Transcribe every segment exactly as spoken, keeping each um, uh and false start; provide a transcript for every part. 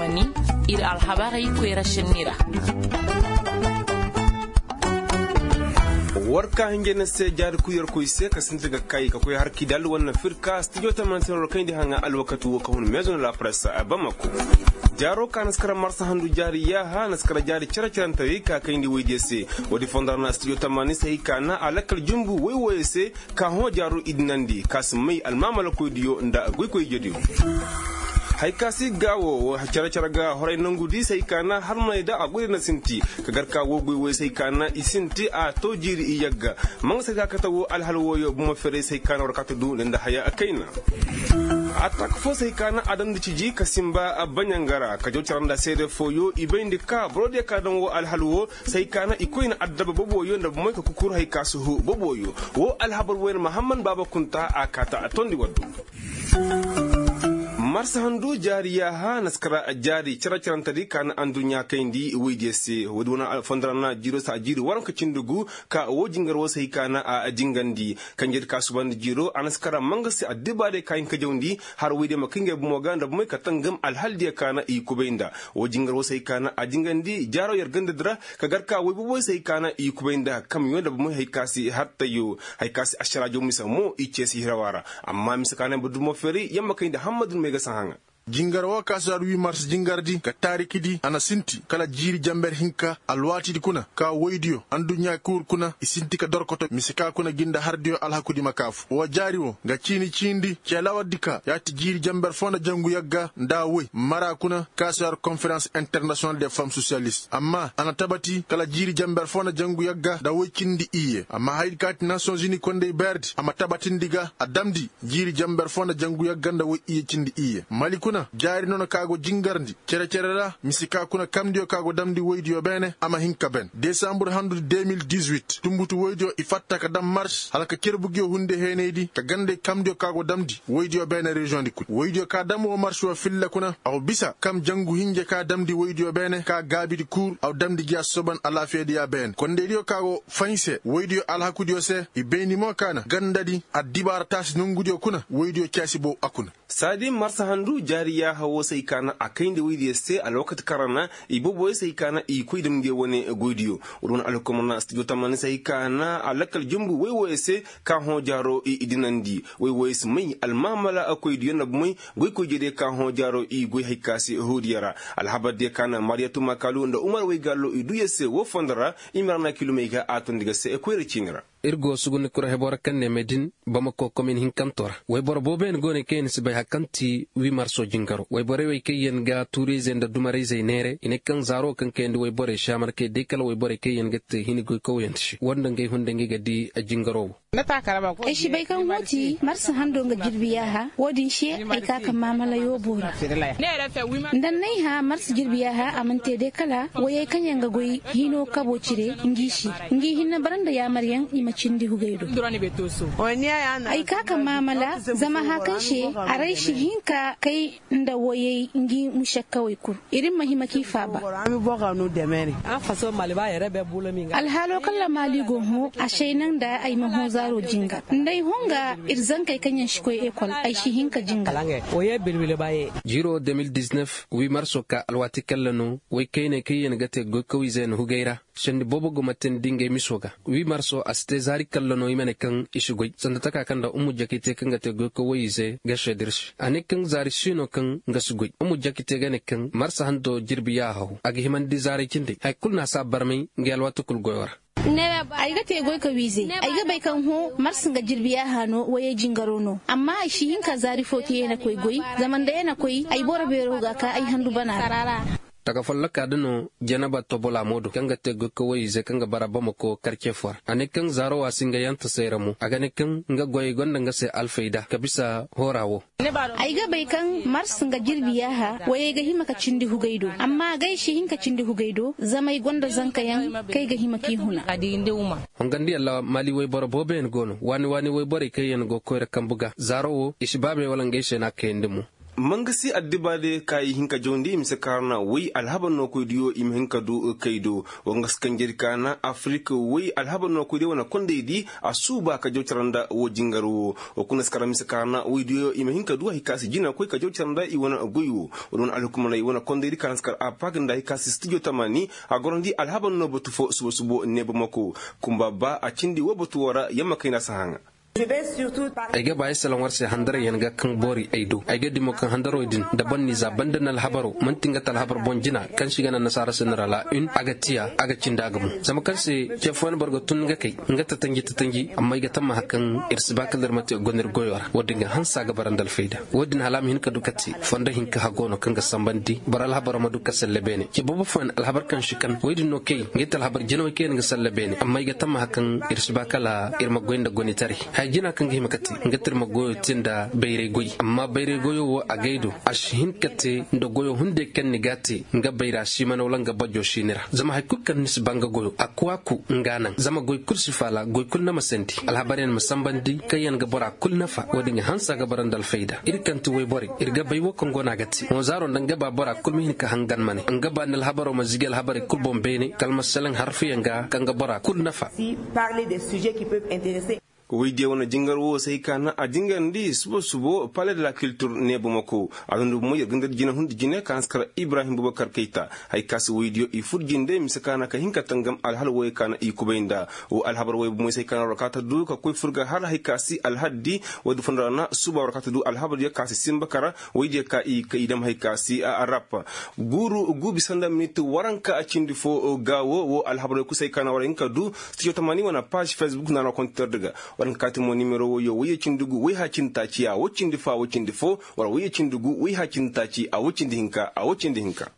Ir alhabarey koyra senni ra. War ka hinja na se jaari kuy yarkoy se ka sinti ga kay ka koy har kidal wane firka studio tamanin se no ra kayndi haŋa alwakati wo ka hun maison de la presse a bamako. Jaaro ka na si kara marsa handu jaari yaaha na si kara jaari cere-cerantaray ka kayndi woydiyo se. Woodi fondo ra na studio tamanin se hay ka na a lakkal jumbu woy wooyo se ka hõ jaaro idinandi ka si may almaamalakoydiyo nda goykoy ijediyo. Hay ka si gaawo wo cere-cere ga horay nangudi se hay ka na harmaney da a goyda na sinti ka gar ka wo goy woy se hay ka na i sinti a to jiiri i yagga. Manga se hay ka kate wo alhal wooyo bomo ferey se hay ka na war kate du nda haya kayna. Atak fo se hay ka na a damndi ciji ka simba baɲanga ra ka jaw cara nda seede fooyo i bayndi ka borodiyo ka daŋ wo alhal wo se hay ka na i koy na addaba boboyo nda bomey ka kukur hay ka si hu boboyo. Wo alhabar wayne mahamman baaba kunta a kaata a tondi waddu. Marsa handu jaari yaaha na si kara jaari cere-cerentedi ka na anduɲɲa kayndi woydiyo se woodi wane alfondara na jiiro se a jiiri waranka cindi gu ka wo jingar wo se hay ka na a jingandi. Kanjedi ka subandi jiiro a na si kara manga se addibaadiyo ka hin ka jawndi har woydiyo ma kay ngey bomo ga nda bomey ka tangam alhaldiyo ka na i kubay nda. Wo jingar wo se hay ka na a jingandi jaaro yer gandadi ra ka gar ka woy boboyo se hay ka na i kubay nda kamyo nda bomey hay ka si hartayo. Hay ka si ašaraajo mise mo i ceesi hirawa ra. Amma mise ka na ay ma dumo feeri yamma kayndi hammadu no may ga sahaŋa. Jingar wo ka si har wi mars jingardi ka taarikidi a na sinti kala jiiri jamber hinka alwaatidi kuna ka woydiyo anduɲɲa kuur kuna i sinti ka dorkoto mise ka kuna ginda hardiyo alhakudi ma kaafu wo jaari wo nga ciini ciindi ceelawardi ka yaati jiiri jamber foo nda jangu yagga nda woy mara kuna ka si har konferans internasiyonal de fam sosiyalist amma a na tabati kala jiiri jamber foo nda jangu yagga nda woy cindi iyye amma hayadi ka ti nasiyonzini kondey beerdi a ma tabatindi ga a damndi jiiri jamber foo nda jangu yagga nda woy iyye cindi iyye mali kuna jaari noona ka go jingarndi cere-cere ra mise ka kuna kamndiyo ka go damndi woydiyo beene a ma hin ka ben desambur handudi deux mille dix-huit tunbutu woydiyo i fatta ka dam mars hala ka cerbugiyo hunde heenaydi ka gandey kamndiyo ka go damndi woydiyo beene reziyoŋdi kul woydiyo ka dam woo mars woo filla kuna a wa bisa kam jangu hinja ka damndi woydiyo beene ka gaabidi kuur a wa damndi gi a soban alaafiyadi ya beene kondeydiyo ka go faɲ se woydiyo alhakudiyo se i bayndi mo ka na gandadi addibaara taasi nongudiyo kuna woydiyo caasi bow a kuna saadi marsa handu jaari yaaha woo se ay ka na a kayndi woydiyo se alwakati kaŋ ra na i boboyo se ay ka na i koy dam nge wane goydiyo. Woodi wane alhukumar na studio tamaani se ay ka na a lakkal jumbu woy wooyo se ka hõ jaaro i dinandi woy wooyo si may almaamala koydiyo nda bomey goykoydiyo diyo ka hõ jaaro i goy hay ka se hoodiyo ra. Alhabardiyo ka na mariyatu makalu nda umar waygallo i duu yer se woo fondo ra. I ma ra na kilomey ga a tondi ga se koyra ciini ra. Ir go sugundi kura heboo ra kaŋ ne medin bamako komin hinkantoo ra. Wayboro booboyaŋ go ne kaŋ yaŋ si bay hari kaŋ ti wii marso jingaro wayborey wey kaŋ yaŋ ga tuurayzey nda dumarayzey neere i ne kaŋ zaaro kaŋ kayandi wayborey si a mana kay day kala wayborey kaŋ yaŋ ga te hini goykawyaŋ se woo nda ngey hunday ngey ga dii jingaro wo. Ay si bay kaŋ hõ ti marsa hando nga jirbi yaaha woo din se ay ka ka maamalayo boori. Nda n'ay hã marsa jirbi yaaha a mana te day kala wayey kaŋ yaŋ ga goy hino kabo cire ngi se ngi hinne bara nda yaamaryaŋ i ma cindi hugay do. Ay ka ka maamala zama hã kaŋ se aray si hin ka kay nda wayey ngi mušakkawey kul ir ma hima k'i faaba. Alhaalo kaŋ ra maali go hõ a say naŋ nda ay ma hõ zaaro jingar nda ay hõ nga ir zankey kaŋ yaŋ si koy ekol ay si hin ka jingar. Jiiro deux mille dix-neuf wii marso ka alwaati kaŋ ra no way kayney kaŋ yaŋ ga te goykawizey na hugay ra sendi boobo go ma teendi ngey miso ga wii marso a si te zaari kalla no i ma ne kaŋ i si goy sanda taka kaŋ nda umu jakite kaŋ ga te goykaw woy-ize ga seeda ir se a ne kaŋ zaari si no kaŋ nga si goy umu jakite ga ne kaŋ marsa hando jirbi yaaha haw a ga himandi zaaray cindey haya kulu no a si a barmay ngey alwaati kulu goyo ra. Ay ga te goykaw-ize ay ga bay kaŋ hõ marsa nga jirbi yaaha no wayey jingaro no amma ay si hin ka zaari fo te ya na koy goy zama nda ya na koy ay boro beero ga ka ay handu bana ra. Taga folloka da no janaba tobola moodo kaŋ ga te goyka woy-ize kaŋ ga bara bamako karce fo ra a ne kaŋ zaaro wa si nga yanta sayra mo a ga ne kaŋ nga goyey gonda nga se alfayda ka bisa hoora wo. Ay ga bay kaŋ mars nga jirbi yaaha wayey ga hima ka cindi hugay do amma agay si hin ka cindi hugay do zama ay gonda zankayaŋ kaŋ ay ga hima k'i huna. Hongandi yalla maali wayboro booboyaŋ go no waani waani wayborey kaŋ yaŋ go koyra kambu ga zaaro wo i si baabey wala ngey se no a kayandi mo. Mangasi addiba de ka i hin ka jawndi i ma si kaarana woy alhabar no koy diyo i ma hin ka du kay do. Wa nga si kanjedi kaana afirik woy alhabar no koy diyo wane kondey di a suuba ka jaw cara nda wo jingar wo. Wa kuna si kara ma si kaarana woy diyo i ma hin ka du hari ka si jina koy ka jaw cara nda i wane goy wo. Wa di wane alhukumaney wane kondey di kaana si kara a paag nda hari ka si stijo tamaani a gorandi alhabar no batu fo suba subo neeba mako. Kumba ba a cindi wo batu wo ra yamma kayna si haŋa. Ay ga ba ay salaŋ war se handarayyaŋ ga kaŋ boori ay do ay ga dimo kaŋ handaroo din nda boro n'i za banda na alhabaro man'ti nga te alhabar boŋ jina kaŋ se i ga naŋ nasaara se nara la un a ga tiya a ga cindi a ga mo. Zama kaŋ se ce fooyaŋ boro ga tun nga kay nga tatanji tatanji amma ay ga tammaha kaŋ ir si ba kala ir ma te gonda ir goyo ra wo- din ga hanse a ga bara nda alfayda. Wo- din hala a ma hin ka du ka te fondo hinka hago no kaŋ ga sambandi boro alhabaro ma du ka salle beene ce boobo fooyaŋ alhabar kaŋ si kan wo- din no kay nga ay te alhabar jinawey kaŋ yaŋ ga salle beene amma ay ga tammaha kaŋ ir si ba kala ir ma goy nda gonitaray. Haya jina kaŋ ga hima ka te nga te ir ma goyo te nda bayray goy amma bayray goyo wo a gay do a si hin ka te nda goyo hunday kaŋ ni ga a te nga bayra si mana wala nga bajo si ni ra zama hari kulu kaŋ ni si ba nga goyo a kuwaaku nga naŋ zama goy kulu si faala goy kulu na ma sandi alhabaryaŋ ma sambandi kaŋ yaŋ ga bora kulu nafa wo- din ga hanse a ga bara nda alfayda ir kaŋ ti woyborey ir ga bay wo kaŋ go no a ga te hõ zaaro nda nga ba bora kulu ma hin ka hangan ma ne nga ba nda alhabaro ma zigi alhabarey kulu boŋ beene kala ma salaŋ harfiyaŋ ga kaŋ ga bora kulu nafa. Woy diya wane jingar wo se hay ka naŋ a jingarndi subo subo pale de la kiltir neeba mako a dundi bomo yer ga nda da jina hundi jine ka naŋ si kar ibrahim bubakar kayta. Hay ka si woy diyo i fur jinde mise ka naŋ ka hin ka tangam alhal woy ka naŋ i kubay nda wo alhabar woy bomo se hay ka naŋ war ka ta du ka koy fur ga har hay ka si alhaddi. Woy di fondo ra na suba war ka ta du alhabar diyo ka si simba kara woy diyo ka i dam hay ka si a rap. Guuru guubi sanda minit waranka a cindi fo ga wo wo alhabar woy kusa hay ka naŋ war hin ka du. Stijo tamaani wane paaz facebook na na kontitar di ga. War hin ka kaati mo nimero woyo woyye cindi gu woy ha cindi taaci a wo cindi fo a wo cindi fo wala woyye cindi gu woy ha cindi taaci a wo cindi hinka a wo cindi hinka.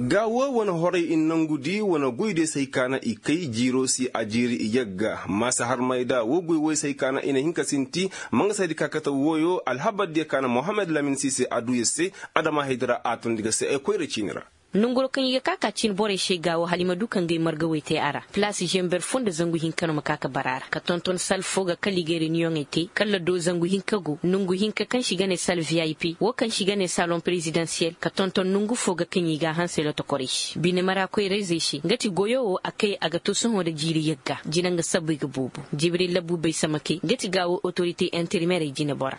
Ga wo wane horay i nangudi wane goydiyo se hay ka naŋ i kay jiiro si a jiiri i yagga. Maasa harmay da wo goy woy se hay ka naŋ i na hin ka sinti. Mangasaydi ka kate woyo alhabardiyo ka naŋ mohammed lamin si se a du yer se. Adama haydi ra a tondi ga se ay koyra ciini ra. Nonguro kaŋ i ga ka ka cin borey se ga wo hala i ma du ka ngey margawey te a ra palaas zember fo nda zangu hinka no ma ka ka bara a ra ka tonton sal fo ga kala i ga reniyoŋey te kala do zangu hinka go nongu hinka kaŋ se i ga ne sal vip wo kaŋ se i ga ne saloŋ perezidansiyel ka tonton nongu fo ga kaŋ i ga a hanse lotokorey se bine mara koyrayzey se nga ti goyo wo a kay a ga to sohõ nda jiiri yagga jina nga sabbey ga boobo. Jibril labuubey samake nga ti ga wo otorite interimerey jinebora.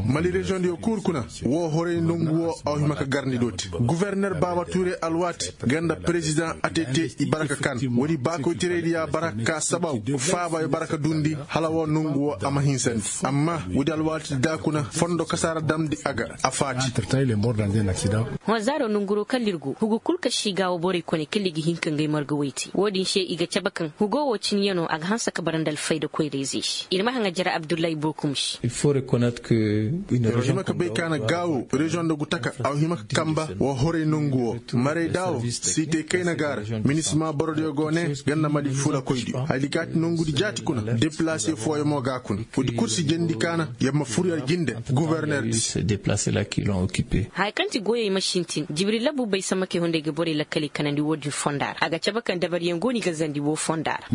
Mali reziyoŋ diyo kuuru kuna. Wo horay nongu wo a hima ka garndi dooti guverner baaba tuure alwaati nga nda perezidaŋ atete i bara ka kan woodi baakoyteraydi ya bara ka saba faaba i bara ka duundi hala wo nongu wo a ma hinsandi. Amma woodi alwaati da kuna fondo kasaara damndi a ga a faati. Hõ zaaro nonguro kala ir go hugu kul ka si ga wo borey kone kala i ga hin ka ngey marga woy te wo-din se i ga cabe kaŋ hugo wo cinyano a ga hanse ka bara nda alfayda koyra-izey se ir ma haŋa jara abdullahi bookum se. Hima ka bay ka na gaawo reziyoŋ nda gutaka a hima ka kamba wa horay nongu wo. Maray daawo siitay kayna ga a ra. Minisima borodiyo go ne ganda mali fuulakoydiyo haydi kaati nongudi jaati kuna depilase fooyaŋ mo ga a kuna. Woodi kul si jandi kaana yer ma fur yer jinde. Guberner di se. Haya kaŋ ti goyey ma sintin jibril labu bay samma kay hunday ga borey lakkaley kanandi wo-din fonda ra a ga cabe kaŋ dabaryaŋ go no i ga zandi wo fonda ra.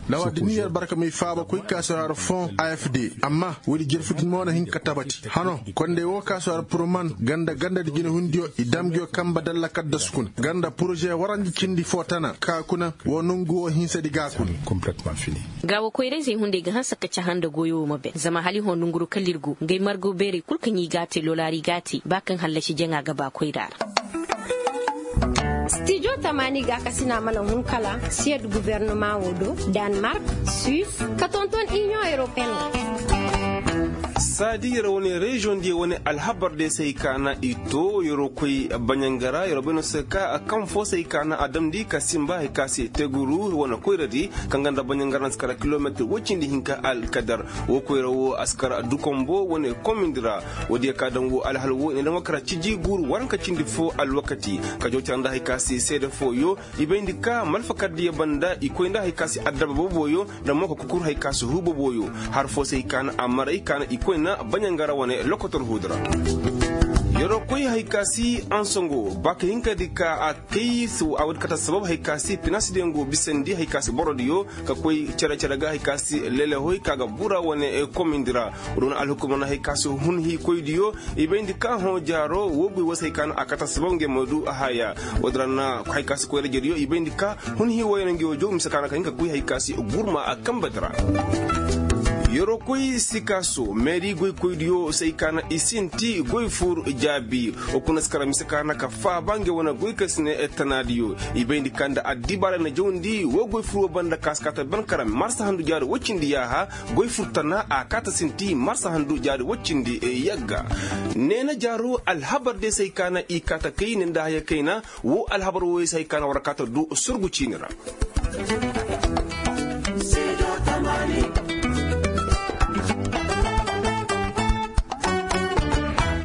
Lawa da ni yer barka may faaba koy kaasu har fon afd. Amma woodi jerfu din mo na hin ka tabati hano konday wo kaasu har purman ganda ganda da jinehundiyo i dam nguyo kamba dalla kaddasu kuna ganda poroze warandi cindi fo tana ka kuna wo nongu wo hinsadi ga kuna. Ga wo koyrayzey hunday ga hanse ka caha nda goyo wo ma ben zama hala i hõ nonguru kala ir go ngey margo beerey kul kaŋ i ga a te lolaari ga a te ba kaŋ hallasi jaŋa ga ba koyra ra. Stijo tamaani gaakasina mana hun kala siyad gubernumaŋ wo do, danmark, suis, ka tonton iniyoŋ europeen ra. Saadi yer wane reziyoŋ diyo wane alhabar diyo se ay kaana i to yeroo koy baɲangara yeroo bay no se ka kaŋ fo se ay kaana a damndi ka sinba hay ka se teguru wane koyra di kaŋ ganda baɲangara na si kara kilometir woy cindi hinka alkadar. Wo koyra wo a si kara dukombo wane komindi ra. Woodiyo ka daŋ wo alhal wo i na daŋ wo kara ciji guuru waranka cindi fo alwakati ka joocara nda hay ka se seede fooyo. I bayndi ka malfakardiyo banda i koy nda hay ka se addaba booboyo nda mo ka kukur hay ka se huu booboyo. Har fo se i kaana a maray kaana i koy na baɲangara wane lokotor huudu ra. Yeroo koy hay ka si ansongo ba ka hin ka di ka a kay a woodi kata sabab hay ka si finansediyo go bisandi hay ka si borodiyo ka koy cere-cere ga hay ka si lelehoy ka ga bura wane komindi ra. Woodi wane alhukumana hay ka si hun hii koydiyo i bayndi ka hõ jaaro woo goy woo se hay ka na a kata sabab ngey ma du a haya. Woodi ra na hay ka si koy rajediyo i bayndi ka hun hii wooyoo na ngey woo jow mise ka na ka hin ka koy hay ka si gurma a kambedi ra. Yeroo koy sikaaso meeri goykoydiyo se hay ka na i sinti goy fur jaabi. Woo kuna si kara mise ka na ka faaba ngey wane goy ka si ne tanaadiyo i bayndi ka nda addibaara na jawndi woo goy fur woo banda ka si kaata ban kara marsa handu jaari woy cindi yaaha. Goy fur tana a kaata sinti marsa handu jaari woy cindi yagga. Neena jaaro alhabar day se hay ka na i kaata kay ne nda haya kayna woo alhabar wooyey se hay ka na war kaata du surgu ciini ra.